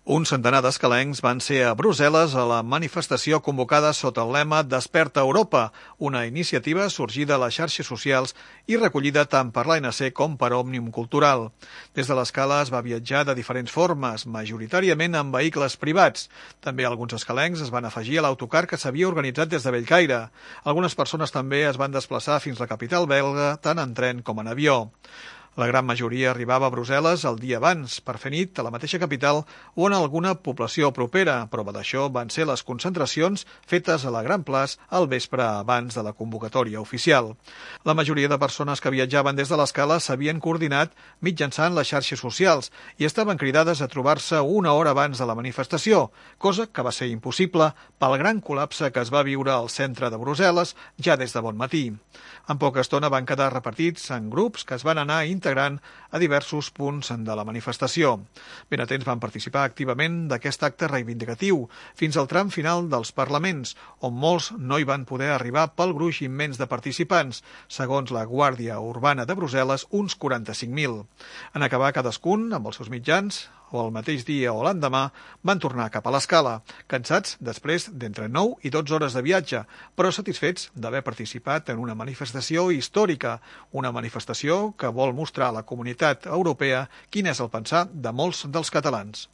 Un centenar d'escalencs van ser a Brussel·les a la manifestació convocada sota el lema Desperta Europa, una iniciativa sorgida a les xarxes socials i recollida tant per l'ANC com per Òmnium Cultural. Des de l'escala es va viatjar de diferents formes, majoritàriament en vehicles privats. També alguns escalencs es van afegir a l'autocar que s'havia organitzat des de Bellcaire. Algunes persones també es van desplaçar fins a la capital belga, tant en tren com en avió. La gran majoria arribava a Brussel·les el dia abans, per fer nit a la mateixa capital o en alguna població propera. Prova d'això van ser les concentracions fetes a la Gran Place al vespre abans de la convocatòria oficial. La majoria de persones que viatjaven des de l'escala s'havien coordinat mitjançant les xarxes socials i estaven cridades a trobar-se una hora abans de la manifestació, cosa que va ser impossible pel gran col·lapse que es va viure al centre de Brussel·les ja des de bon matí. En poca estona van quedar repartits en grups que es van anar integrant a diversos punts de la manifestació. Ben atents van participar activament d'aquest acte reivindicatiu fins al tram final dels parlaments, on molts no hi van poder arribar pel gruix immens de participants, segons la Guàrdia Urbana de Brussel·les, uns 45.000. En acabar cadascun amb els seus mitjans, o el mateix dia o l'endemà, van tornar cap a l'escala, cansats després d'entre 9 i 12 hores de viatge, però satisfets d'haver participat en una manifestació històrica, una manifestació que vol mostrar a la comunitat europea quin és el pensar de molts dels catalans.